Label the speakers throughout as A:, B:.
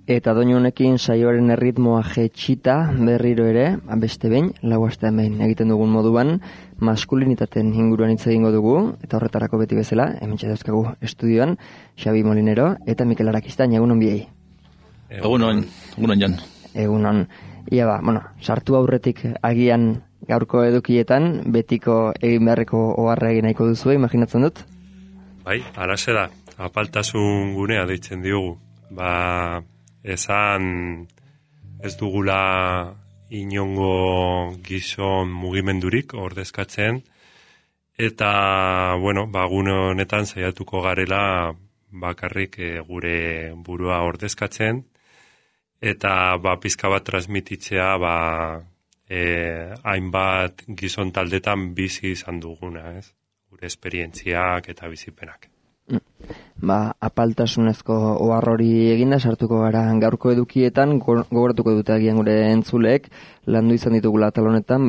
A: Eta doinu honekin saioaren erritmoa jetxita berriro ere, beste behin, lau astean behin egiten dugun moduan, maskulinitateen inguruan hitz egingo dugu, eta horretarako beti bezala, hementxe dauzkagu estudioan, Xabi Molinero eta Mikel Arakistain, egunon biei.
B: Egunon Jon.
A: Egunon. Ia sartu aurretik agian gaurko edukietan, betiko egin beharreko oharra egin nahiko duzu, imaginatzen dut?
C: Bai, alaxe da, apaltasun gunea deitzen diogu. Esan ez dugula inongo gizon mugimendurik ordezkatzen, eta, gune honetan saiatuko garela bakarrik gure burua ordezkatzen, eta pizka bat transmititzea hainbat gizon taldetan bizi izan duguna, ez? Gure esperientziak eta bizipenak.
A: Apaltasunezko ohar hori eginda sartuko gara gaurko edukietan, gogoratuko dute agian gure entzuleek, landu izan ditugula atal honetan,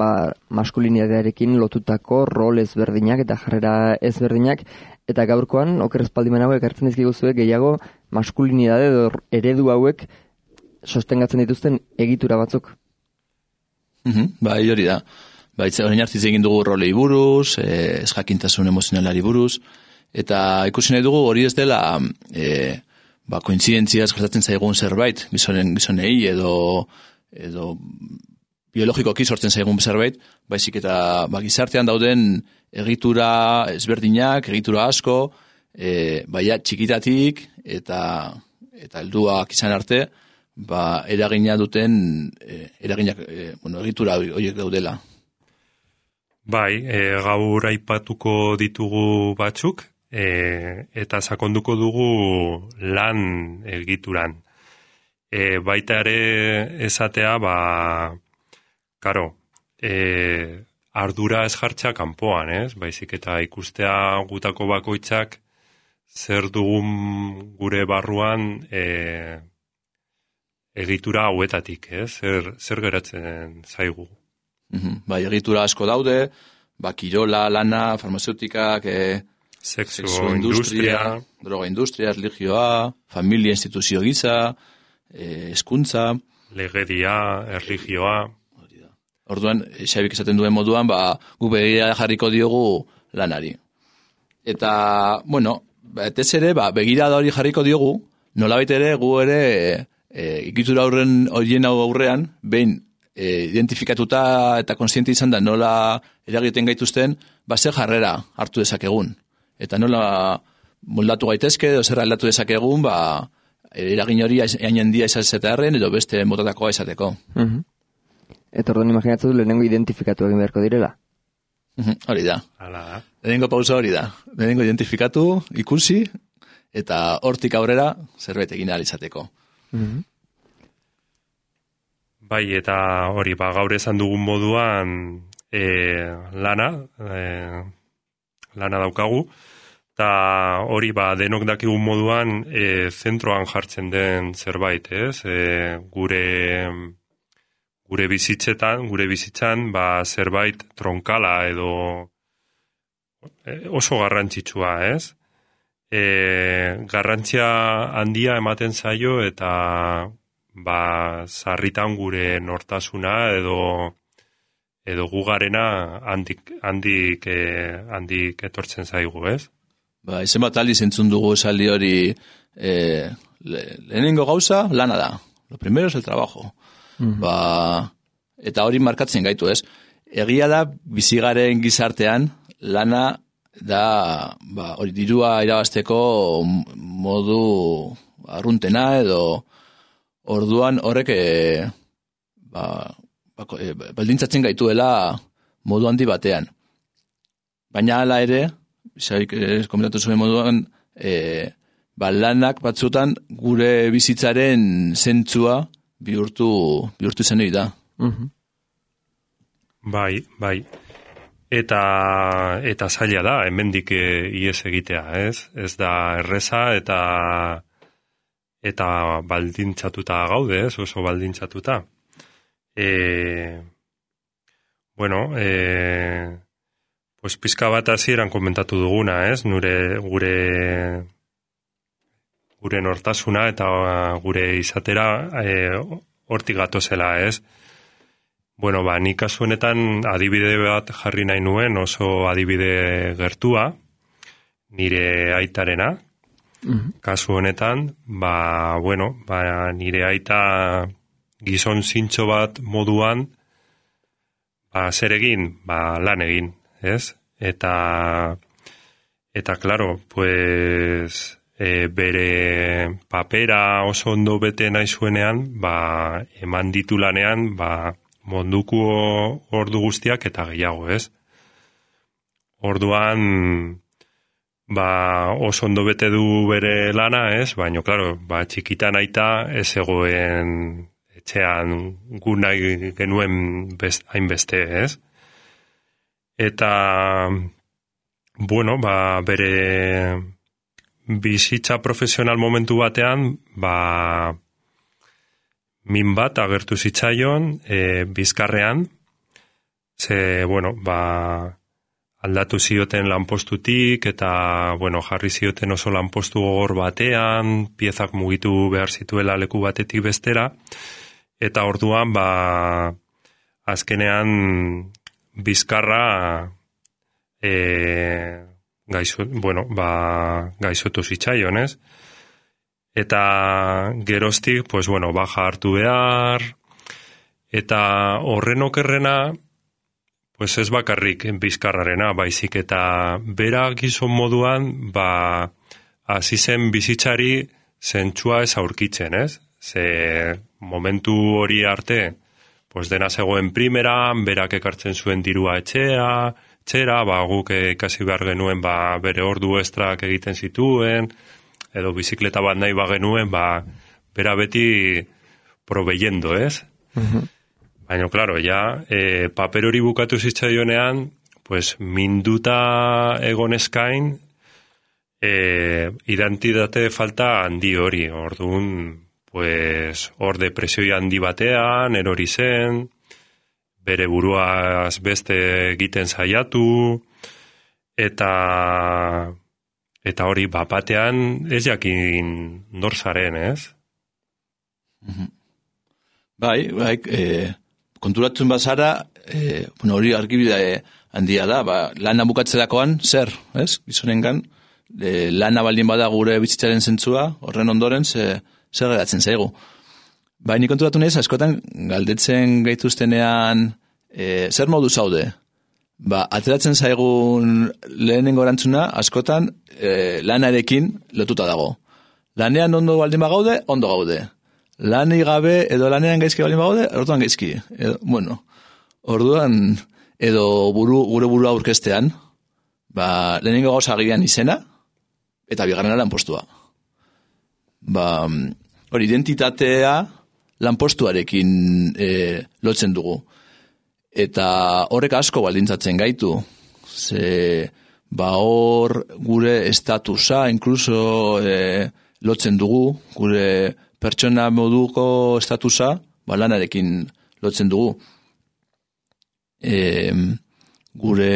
A: maskulinitatearekin lotutako rol ezberdinak eta jarrera ezberdinak, eta gaurkoan, oker espaldimen hauek hartzen dizkiguzuek gehiago maskulinitate edo eredu hauek sostengatzen dituzten egitura batzuk.
B: Bai, hori da. Orain hartziz egin dugu rolei buruz, ezjakintasun emozionalari buruz, eta ikusi nahi dugu hori ez dela kointzidentziaz gertatzen zaigun zerbait, gizonei edo biologikoki sortzen zaigun zerbait, baizik eta gizartean dauden egitura ezberdinak, egitura asko, baina txikitatik eta helduak izan arte, eragina duten egitura horiek daudela.
C: Bai, gaur aipatuko ditugu batzuk, eta sakonduko dugu lan egituran. Baita ere esatea, ardura ez jartzea kanpoan, ez? Baizik eta ikustea gutako bakoitzak zer dugun gure barruan egitura hauetatik, ez? Zer geratzen zaigu.
B: Bai, egitura asko daude, kirola, lana, farmazeutikak,
C: sexu industria,
B: droga industria, religioa, familia instituzio gisa, hezkuntza,
C: legedia, erlijioa.
B: Orduan, Xabik esaten duen moduan, gu begira jarriko diogu lanari. Eta, betez ere, begira da hori jarriko diogu, nolabait ere, gu ere, egitura horien aurrean, behin, identifikatuta eta konsiente izan da nola eragiten gaituzten, zer jarrera hartu dezakegun. Eta nola moldatu gaitezke, edo zer aldatu dezakegun, eragin hori hain handia izatearen, edo beste motatakoa izateko.
A: Eta orduan imaginatzen du lehenengo identifikatu egin beharko direla?
B: Hori da. Lehenengo pausa hori da. Lehenengo identifikatu, ikusi, eta hortik aurrera zerbait egin ahal izateko.
C: Bai, eta hori, gaur esan dugun moduan lana daukagu, eta hori, denok dakigun moduan zentroan jartzen den zerbait, ez? Gure bizitzan, zerbait tronkala edo oso garrantzitsua, ez? Garrantzia handia ematen zaio eta sarritan gure nortasuna edo gugarena handik etortzen zaigu, ez?
B: Izen bat aldiz entzun dugu esaldi hori, lehenengo gauza lana da. Lo primero es el trabajo. Eta hori markatzen gaitu, ez? Egia da, bizigaren gizartean, lana da, hori dirua irabazteko modu arruntena edo orduan horrek baldintzatzen gaituela modu handi batean. Baina hala ere, Xabik komentatu zuen moduan, lanak batzutan gure bizitzaren zentzua bihurtu izan hori da.
C: Bai. Eta zaila da, hemendik ihes egitea, ez? Ez da erreza eta baldintzatuta gaude, ez? Oso baldintzatuta. Pizka bat hasieran komentatu duguna, ez? Gure gure nortasuna eta gure izatera hortik gatozela, ez? Bueno, ni kasu honetan adibide bat jarri nahi nuen, oso adibide gertua, nire aitarena. Kasu honetan, nire aita gizon zintxo bat moduan, zer egin, lan egin, ez? Eta claro, pues, bere papera oso ondo bete nahi zuenean, eman ditu lanean, munduko ordu guztiak eta gehiago, ez? Orduan, oso ondo bete du bere lana, ez? Baina, claro, txikitan aita ez egoen etxean gu nahi genuen hainbeste, ez? Eta, bueno, bere bizitza profesional momentu batean, min bat agertu zitzaion Bizkarrean, aldatu zioten lanpostutik, eta, jarri zioten oso lanpostu gogor batean, piezak mugitu behar zituela leku batetik bestera, eta orduan, azkenean Bizkarra gaixotu zitzaion, ez? Eta geroztik, baja hartu behar, eta horren okerrena, ez bakarrik Bizkarrarena, baizik eta bera gizon moduan, hasi zen bizitzari zentsua ez aurkitzen, ez? Ze momentu hori arte, dena zegoen primeran, berak ekartzen zuen dirua etxera, guk ikasi behar genuen bere ordu estrak egiten zituen, edo bizikleta bat nahi bagenuen, bera beti proveyendo, ez? Baina, klaro, paper hori bukatu zitzaionean, minduta egoneskain, identitate falta handi hori, orduan, hor depresio handi batean, erori zen, bere buruaz beste egiten saiatu, eta hori batean ez jakin nor zaren, ez?
B: Konturatzen bazara, hori argibide handia da, lana bukatzerakoan, zer, ez? Gizonengan, lana baldin bada gure bizitzaren zentzua, horren ondoren, zer geratzen zaigu. Nik konturatu nahiz, askotan, galdetzen gaituztenean, zer modu zaude? Ateratzen zaigun lehenengo erantzuna, askotan, lanarekin lotuta dago. Lanean ondo baldin bagaude, ondo gaude. Lanik gabe edo lanean gaizki baldin bagaude, orduan gaizki. Orduan, edo gure burua aurkestean, lehenengo gauza agian izena, eta bigarrena lanpostua. Hori, identitatea lanpostuarekin lotzen dugu. Eta horrek asko baldintzatzen gaitu. Hor gure estatusa, inkluso lotzen dugu, gure pertsona moduko estatusa, lanarekin lotzen dugu. Gure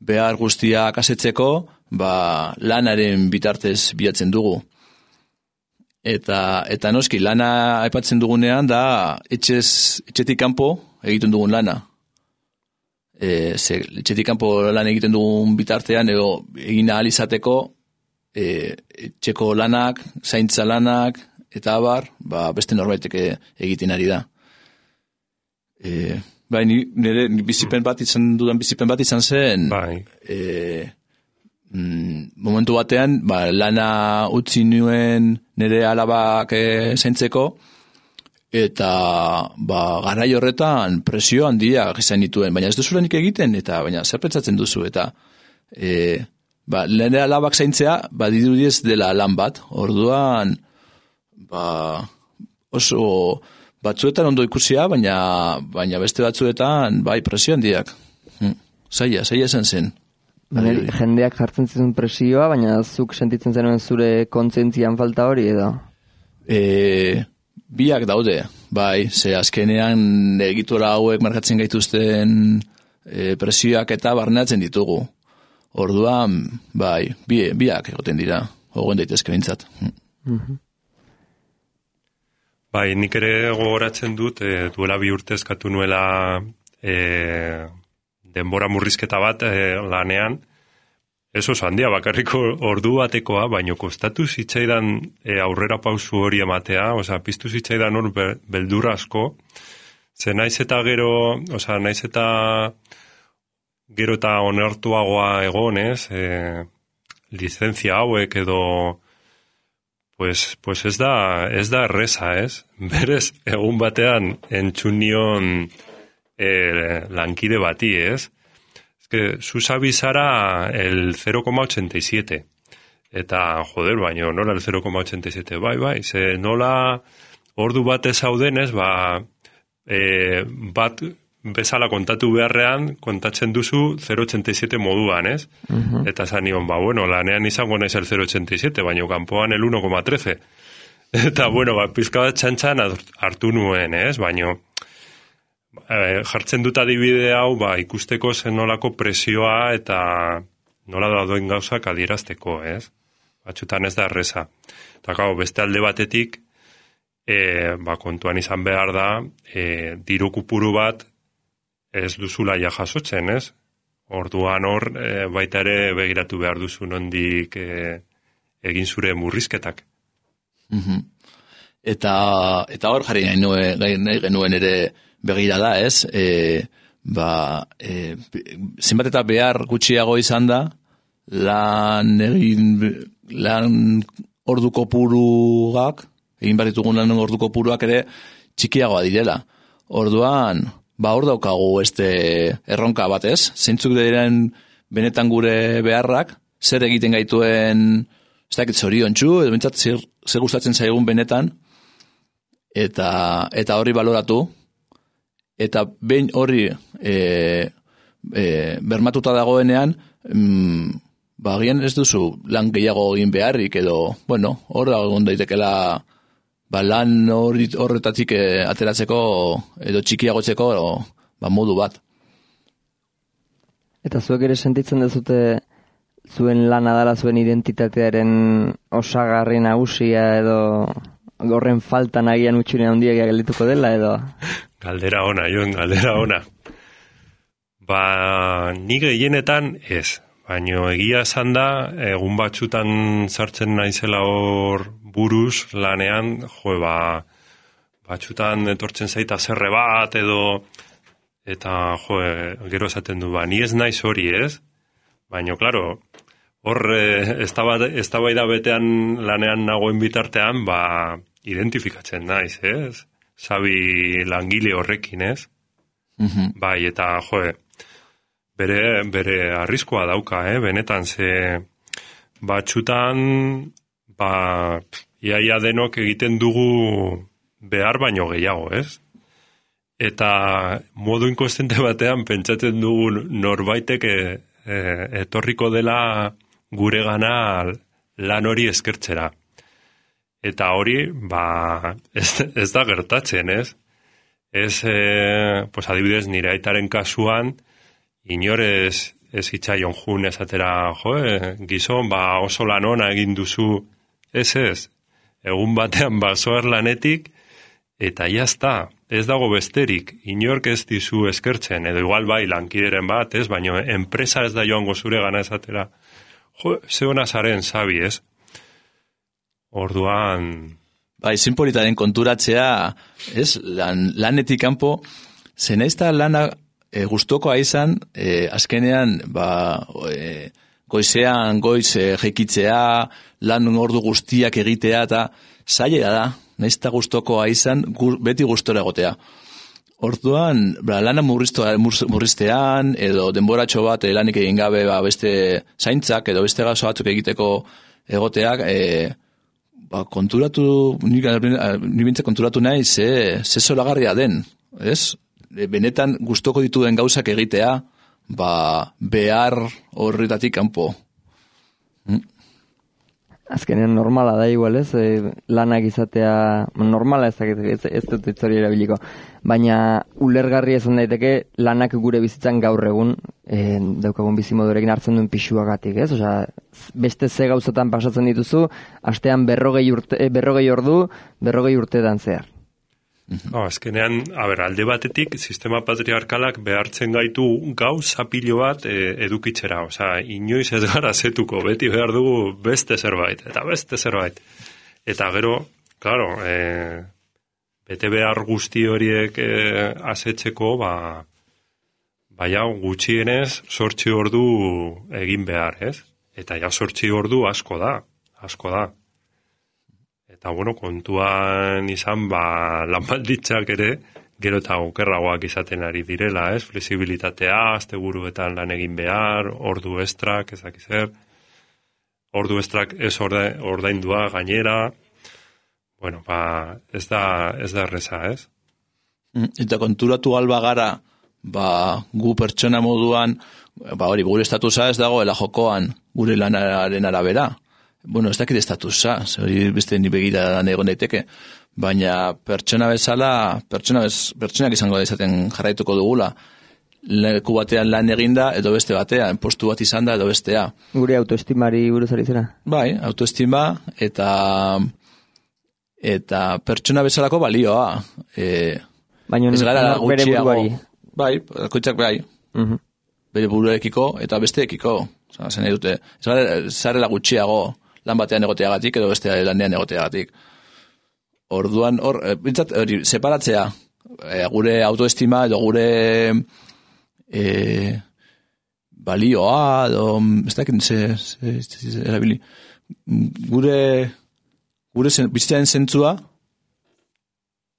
B: behar guztiak asetzeko, lanaren bitartez bilatzen dugu. Eta noski, lana aipatzen dugunean da etxetik kanpo egiten dugun lana. Etxetik kanpo lan egiten dugun bitartean, edo egin ahal izateko, etxeko lanak, zaintza lanak, eta abar, beste norbaitek egiten ari da. Nire bizipen bat izan zen, momentu batean, lana utzi nuen nire alabak zaintzeko, eta garai horretan presio handia izan dituen, baina ez duzulanik egiten, eta baina zer pentsatzen duzu, eta nire alabak zaintzea, dirudiez dela lan bat, orduan, oso batzuetan ondo ikusia, baina beste batzuetan, presio handiak. Zaila esan zen.
A: Jendeak jartzen zizun presioa, baina zuk sentitzen zenuen zure kontzentzian falta hori edo?
B: Biak daude, ze azkenean egitura hauek markatzen gaituzten presioak eta barneatzen ditugu. Orduan, biak egoten dira, ogoen daitezke bintzat.
C: Bai, nik ere gogoratzen dut, duela 2 urte eskatu nuela denbora murrizketa bat lanean, ez oso handia, bakarriko ordu batekoa, baino kostatu zitzaidan aurrera pausu hori ematea, piztu zitzaidan hor beldur asko, ze naiz eta gero eta onartuagoa egonez, lizentzia hauek edo pues ez da erreza, ez? Berez, egun batean entzunion lankide bati, ez? Ez que zuzabi zara el 0,87. Eta, joder, baino, nola el 0,87? Bai, ze nola ordu batez zaudenez, bat bezala kontatu beharrean, kontatzen duzu 0,87 moduan, ez? Eta zanion, bueno, lanean izango naiz el 0,87, baino kanpoan el 1,13. Eta, pizka bat txantxan hartu nuen, ez? Baino, jartzen dut adibide hau, ikusteko zenolako presioa eta nola dauden gauzak adierazteko, ez? Batxutan ez da erreza. Eta, beste alde batetik, kontuan izan behar da, diru kupuru bat ez duzula jasotzen, ez? Orduan hor, baita ere begiratu behar duzu nondik egin zure murrizketak.
B: Eta hor jarri nahi genuen ere begira da, ez? Zenbat eta behar gutxiago izan da, lan ordu kopuruak, egin behar ditugun lan ordu kopuruak ere txikiagoa direla. Orduan, hor daukagu erronka bat, ez? Zeintzuk diren benetan gure beharrak, zer egiten gaituen, ez dakit zoriontsu, edo bintzat zer gustatzen zaigun benetan, eta horri baloratu, eta behin horri bermatuta dagoenean, agian ez duzu lan gehiago egin beharrik, edo, hor egon daitekela lan horretatik ateratzeko edo txikiagotzeko modu bat.
A: Eta zuek ere sentitzen dezute zuen lana dela zuen identitatearen osagarri nagusia edo horren faltan agian utxune handiak geldituko dela edo?
C: Galdera ona, galdera ona. Ni gehienetan ez. Baina egia esan da, egun batzutan sartzen naizela hor buruz lanean, batzutan etortzen zaita zerre bat edo, eta gero esaten du, ni ez naiz hori, ez? Baina, klaro, hor eztabaida betean lanean nagoen bitartean, identifikatzen naiz, ez? Sabi langile horrekin, ez? Bai, eta, bere arriskoa dauka, benetan, ze batzutan, iaia denok egiten dugu behar baino gehiago, ez? Eta modu inkostente batean pentsatzen dugu norbaitek etorriko dela gure gana lan hori eskertzera. Eta hori, ez da gertatzen, ez? Adibidez, nire aitaren kasuan, inorez ez hitzaion jun esatera, gizon, oso lan ona egin duzu, ez, egun batean basoar lanetik, eta jazta, ez dago besterik, inork ez dizu eskertzen, edo igual lankideren bat, ez, baina enpresa ez da joango zure gana esatera, ze hona zaren sabi, ez? Orduan...
B: Zinpolitaren konturatzea, ez, lanetik kanpo, zenaizta lana gustokoa izan, azkenean, goizean, jekitzea, lan ordu guztiak egitea, eta zaila da, naizta gustokoa izan, beti gustora egotea. Orduan, lana murriztean, edo denboratxo bat lanik egin gabe beste zaintzak, edo beste gazo batzuk egiteko egoteak, ni bintze konturatu nahi, ze zoragarria den, ez? Benetan gustoko dituen gauzak egitea, behar horretatik kanpo.
A: Azkenean normala da igual, ez? Lanak izatea, normala ez dut itzori erabiliko, baina ulergarri esan daiteke lanak gure bizitzan gaur egun daukagun bizimodurekin hartzen duen pisuagatik, ez? Osea, beste ze gauzatan pasatzen dituzu, astean 40 ordu, 40 urteetan zehar.
C: Azkenean, alde batetik, sistema patriarkalak behartzen gaitu gauza pilo bat edukitzera. Osea, inoiz ez gara zetuko, beti behar dugu beste zerbait, eta beste zerbait. Eta gero, claro, bete behar guzti horiek asetzeko, baina gutxienez 8 ordu egin behar, ez? Eta ja 8 ordu asko da. Eta, bueno, kontuan izan, lan baldintzak ere, gero eta okerragoak izaten ari direla, ez? Flexibilitatea, asteburuetan lan egin behar, ordu estrak, ezak zer, ordu estrak ez ordaindua gainera, bueno, ez da erreza, ez?
B: Eta konturatu alba gara, gu pertsona moduan, hori, gure estatusa ez dagoela jokoan, gure lanaren arabera. Bueno, ez dakit estatusa, hori beste ni begiradan egon daiteke, baina pertsona bezala, pertsonak izango da izaten jarraituko dugula. Leku batean lan eginda, edo beste batean, postu bat izan da, edo bestea.
A: Gure autoestimari buruz ari zera?
B: Bai, autoestima eta pertsona bezalako balioa.
A: Baina bere buruari.
B: Bai, koitzak bai. Bere buruarekiko eta besteekiko. Zen dute, zarela gutxiago lan batean egoteagatik edo beste lanean egoteagatik. Orduan, bintzat, separatzea, gure autoestima edo gure balioa, edo, ez dakit, erabili, gure bizitzaren zentzua,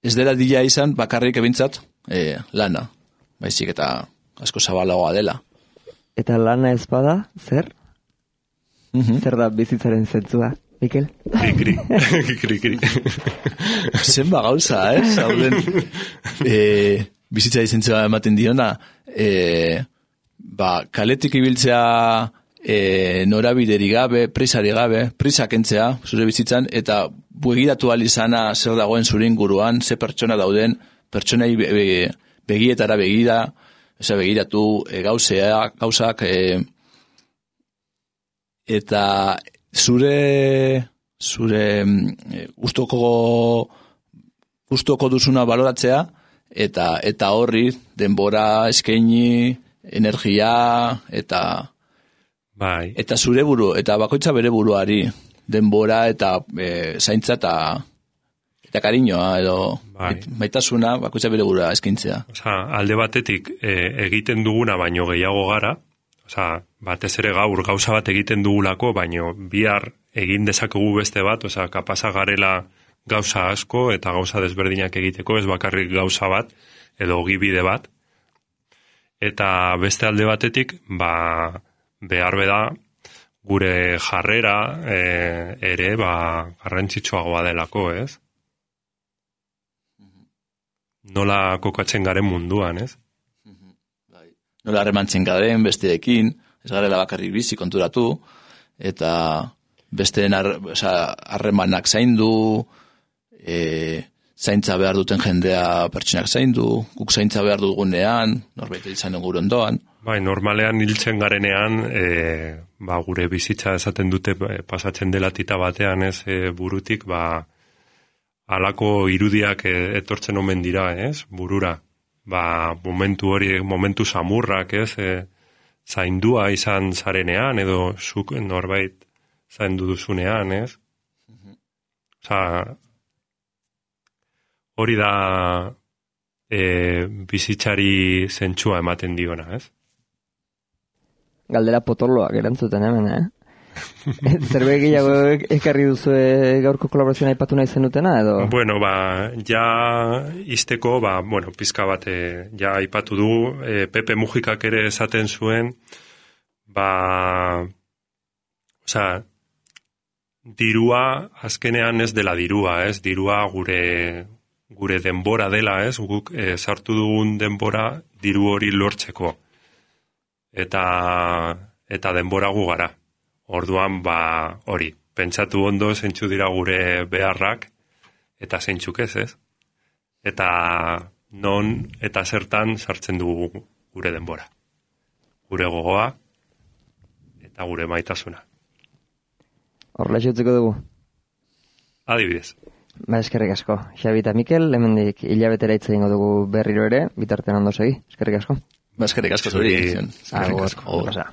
B: ez dela dila izan bakarrik ebintzat lana, baizik eta asko zabalagoa dela.
A: Eta lana ez bada, zer? Zer da bizitzaren zentzua, Mikel?
C: Kri.
B: Zenba gauza, zauden bizitzaren zentzua ematen diona, kaletik ibiltzea norabideri gabe, prisari gabe, prisa kentzea, zure bizitzan, eta begiratu alizana zer dagoen zure inguruan, ze pertsona dauden, pertsonei begietara begira, begiratu gauzak, eta zure gustoko duzuna baloratzea, eta horri denbora eskaini, energia, eta zure buru, eta bakoitza bere buruari, denbora eta zaintza eta kariñoa, edo maitasuna bakoitza bere burua eskintzea.
C: Alde batetik egiten duguna baino gehiago gara, batez ere gaur gauza bat egiten dugulako, baino bihar egin dezakegu beste bat, kapasa garela gauza asko eta gauza desberdinak egiteko, ez bakarrik gauza bat, edo ogibide bat. Eta beste alde batetik, behar beda, gure jarrera ere garrantzitsuagoa delako, ez? Nola kokatzen garen munduan, ez?
B: Nola harremantzen garen besteekin, ez garela bakarrik bizi konturatu, eta besteen harremanak zaindu, zaintza behar duten jendea pertsonak zaindu, guk zaintza behar dugunean, norbait izan gure ondoan.
C: Normalean hiltzen garenean, gure bizitza esaten dute pasatzen dela tita batean, ez, burutik, halako irudiak etortzen omen dira, ez, burura. Momentu samurrak, ez, zaindua izan zarenean, edo zuk norbait zaindu duzunean, ez. Hori da bizitzari zentsua ematen diona, ez?
A: Galdera potoloak erantzuten hemen, Zerbait gehiago ekarri duzu gaurko kolaborazioa aipatu nahi zenutena, edo?
C: Bueno, ja izteko, pizka bat ja aipatu du, Pepe Mujikak ere esaten zuen, dirua azkenean ez dela dirua, ez? Dirua gure denbora dela, ez? Guk sartu dugun denbora diru hori lortzeko. Eta denbora gu gara. Orduan, hori, pentsatu ondo zeintzu dira gure beharrak, eta zeintzuk ez? Eta non eta zertan sartzen dugu gure denbora. Gure gogoa eta gure maitasuna.
A: Horrela xutzeko dugu.
C: Adibidez.
A: Ba, eskerrik asko. Xabi eta Mikel, hemendik hilabetera hitz egingo dugu berriro ere, bitartean ondo segi. Eskerrik asko.
B: Ba, eskerrik asko zuri.
C: Eskerrik asko.
A: Agur.